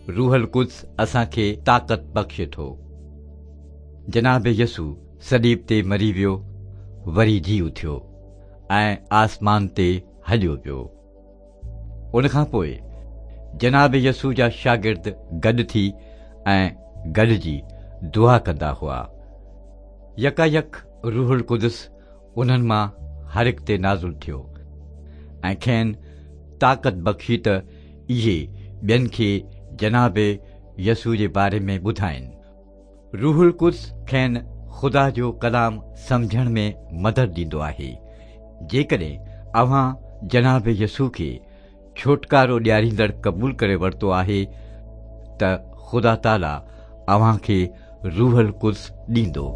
روح القدس اسان کي طاقت بخشي ٿو. جناب يسوع صليب تي مري ويو، وري جي اٿيو ۽ آسمان تي هليو ويو. ان کان پوء جناب يسوع جا شاگرد گڏ ٿي ۽ گڏجي دعا ڪندا هئا. يڪايڪ روح القدس انهن مان هر هڪ تي نازل ٿيو ۽ کين طاقت بخشي ته اهي ٻين کي جناب يسوع جي باري ۾ ٻڌائين. روح القدس کين خدا جو ڪلام سمجهڻ ۾ مدد ڏيندو آهي. جيڪڏهن اوهان جناب يسوع کي ڇوٽڪارو ڏياريندڙ قبول ڪري ورتو آهي ته خدا تعاليٰ اوهان کي روح القدس ڏيندو.